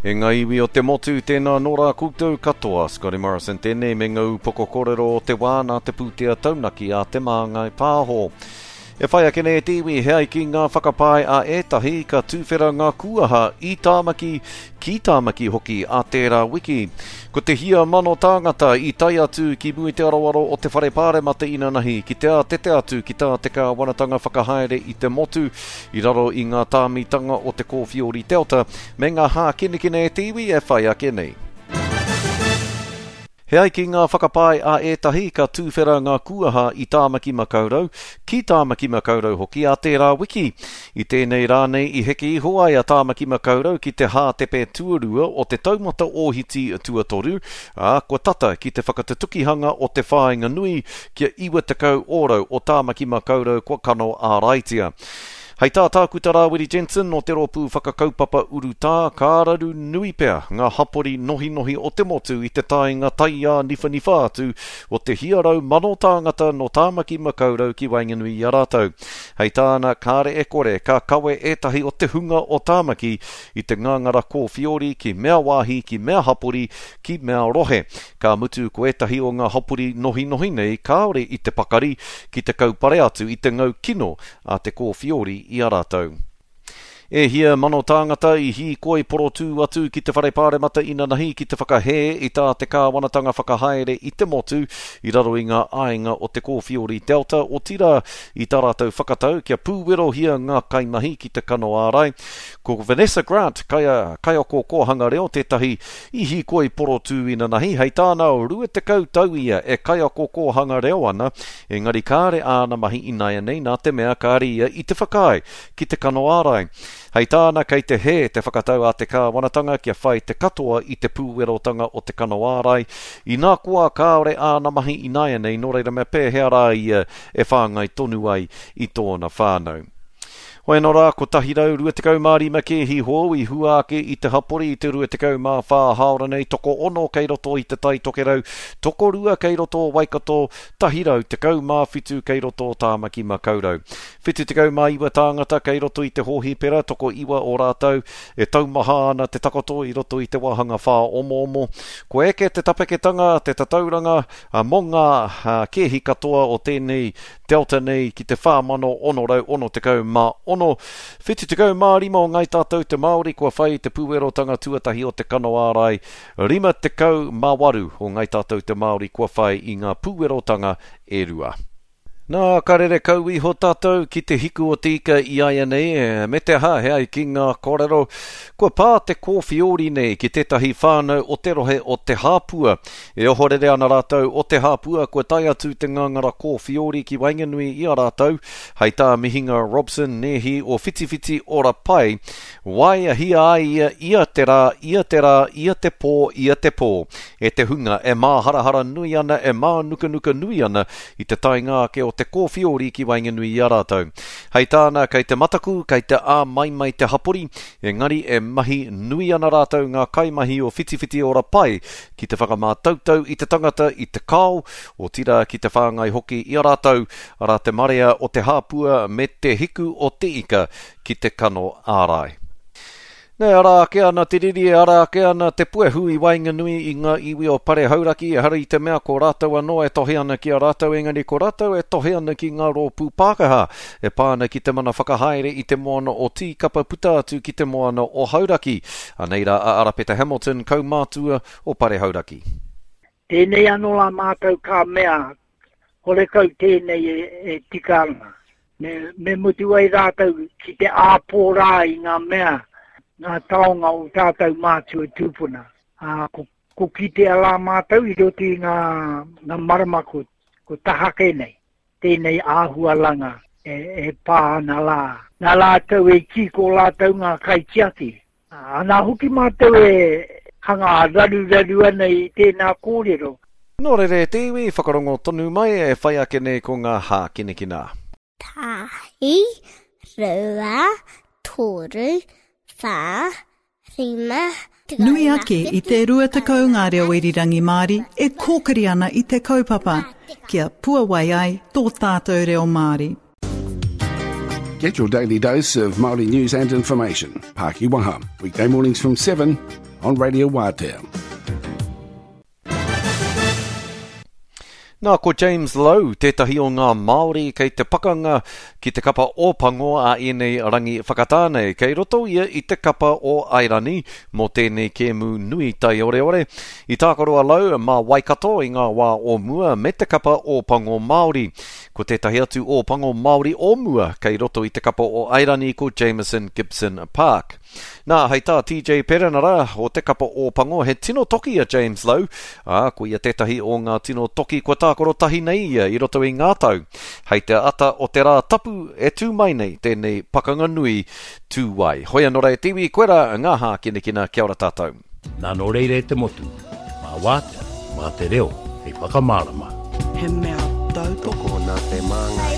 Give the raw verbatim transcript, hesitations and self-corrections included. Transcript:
E ngā iwi o te motu, tēnā nō rā koutou katoa. Scotty Morrison tēnei me ngā upoko kōrero o te wā nā te pūtea taunaki a Te Māngai Pāho. E whai ake nei e te iwi, he ai ki ngā whakapae a ētahi ka tūwhera ngā kūaha i Tāmaki, ki Tāmaki hoki a tērā wiki. Ko te hia mano tāngata i tae atu ki mua i te aroaro o te whare pāremata inanahi ki te ātete atu ki tā te kāwanatanga whakahaere i te motu i raro i ngā tāmitanga o te kōwhiori Delta me ngā hākinakina e te iwi e whai ake nei. He ai ki ngā whakapae a ētahi ka tūwhera ngā kūaha i Tāmaki Makaurau, ki Tāmaki Makaurau hoki a tērā wiki. I tēnei rā nei i heke iho ai a Tāmaki Makaurau ki te hātepe tuarua o te taumata ōhiti tuatoru, ā, kua tata ki te whakatutukihanga o te whāinga nui kia iwa tekau ōrau o Tāmaki Makaurau kua kano āraitia. Hei tā Tākuta Rāwiri Jensen o te rōpū whakakaupapa urutā, ka raru nui pea ngā hapori nohinohi o te motu i te taenga taiā niwhaniwha atu o te hia rau mano tāngata nō Tāmaki Makaurau ki waenganui i a rātou. Hei tāna, kāre e kore, ka kawe ētahi o te hunga o Tāmaki i te ngāngara kōwhiori ki mea wāhi, ki mea hapori, ki mea rohe. Ka mutu ko ētahi o ngā hapori nohinohi nei kāore i te pakari ki te kaupare atu i te ngau kino a te kōwhiori i a rātou. E hia mano tāngata i hīkoi porotū atu ki te whare pāremata inanahi ki te whakahē i tā te kāwanatanga whakahaere i te motu i raro i ngā āinga o te kōwhiori Delta, otirā i tā rātou whakatau kia pūwerohia ngā kaimahi ki te kano ārai. Ko Vanessa Grant, kaia, kaiako kōhanga reo tētahi i hīkoi porotū inanahi, hei tāna rua tekau tau ia e kaiako kōhanga reo ana, engari kāre āna mahi ināianei nā te mea kāre ia i te whakaae ki te kano ārai. Hei tāna kei te hē te whakatau a te kāwanatanga kia whai te katoa i te pūwerotanga o te kano ārai. Inā koa kāore āna mahi ināianei, nō reira me pēhea rā ia e whāngai tonu ai i tōna whānau. Hoi anō rā, kotahi rau rua tekau mā rima kēhi hou i hua ake i te hapori i te rua tekau mā whā hāora nei, tokoono kei roto i te Tai Tokerau, tokorua kei roto o Waikato, tahi rau tekau mā whitu kei roto o Tāmaki Makaurau. Whitu tekau mā iwa tāngata kei roto i te hōhipera, tokoiwa o rātou e taumaha ana te takoto i roto i te wāhanga whāomoomo. Kua eke te tapeketanga, te tatauranga, mō ngā kēhi katoa o tēnei Delta nei ki te whā mano ono rau ono tekau mā ono. Whitu tekau mā rima o Ngai Tātou te Māori kua whai te pūwerotanga tuatahi o te kano ārai. Rima tekau mā waru o Ngai Tātou te Māori kua whai i ngā pūwerotanga e rua. Nā, ka rere kau iho tātou ki te hiku o te ika i āianei, me te aha, he ai ki ngā kōrero, kua pā te kōwhiori nei ki tētahi whānau o te rohe o Te Hāpua. E ohorere ana rātou o Te Hāpua kua tae atu te ngāngara kōwhiori ki waenganui i a rātou, hei tā Mihinga Robson nēhi o Whitiwhiti Ora Pai, waeahia ai ia ia te rā, ia te rā, ia te pō, ia te pō, e te hunga e māharahara nui ana, e mānukanuka nui ana i te taenga ake o te kōwhiori ki waenganui i a rātou. Hei tāna, kei te mataku, kei te āmaimai te hapori, engari e mahi nui ana rātou ngā kaimahi o Whitiwhiti Ora Pai ki te whakamātautau i te tangata i te kao, otirā ki te whāngai hoki i a rātou, arā te marea o te hāpua me te hiku o te ika ki te kano ārai. Nei, ara ake ana te riri, ara ake ana te puehu i waenganui i ngā iwi o Pare Hauraki, ehara i te mea ko rātou anō e tohe ana ki a rātou, engari ko rātou e tohe ana ki ngā rōpū Pākehā, e pā ana ki te mana whakahaere i te moana o Tīkapa puta atu ki te moana o Hauraki. Anei rā a Arapeta Hamilton, kaumātua o Pare Hauraki. Tēnei anō rā mātou ka mea, horekau tēnei e, e tika ana. Me, me mutu ai rātou ki te āpōrā i ngā mea, ngā taonga o tātou mātua tūpuna. Ā, ko, ko kitea rā mātou i roto i ngā, ngā marama ko, ko tahake nei, tēnei āhualanga e, e pā ana rā. Nā rātou e kī ko rātou ngā kaitiaki. Ā, nā hoki mātou e hanga raruraru ana i tēnā kōrero. Nō reira e te iwi, whakarongo tonu mai e whai ake nei ko ngā hākinakina. Tahi, rua, toru, whā, rima, Nui ake i te rua tekau ngā reo irirangi Māori e kōkiri ana i te kaupapa, kia puawai ai tō tātou reo Māori. Get your daily dose of Māori news and information. Pākiwaha, weekday mornings from seven on Radio Waatea. Nā, ko James Lowe, tētahi o ngā Māori kei te pakanga ki te kapa Ōpango a ēnei rangi whakatāne. Kei roto ia i te kapa o Airani mō tēnei kēmu nui taioreore. I tākaro a Lowe mā Waikato i ngā wā o mua me te kapa Ōpango Māori. Ko tētahi atu Ōpango Māori o mua kei roto i te kapa o Airani ko Jameson Gibson Park. Nā, hei tā T J Perenara o te kapa Ōpango, he tino toki a James Lowe, ā, ko ia tētahi o ngā tino toki kua tākaro tahi nei ia i roto i ngā tau. Hei te ata o te rā tapu e tū mai nei tēnei pakanga nui tū ai. Hoi anō rā e te iwi, koe rā ngā hākinakina, kia ora tātou. Nā nō reira e te motu, mā wātea, mā te reo, hei whakamārama. He mea tautoko nā te māngai.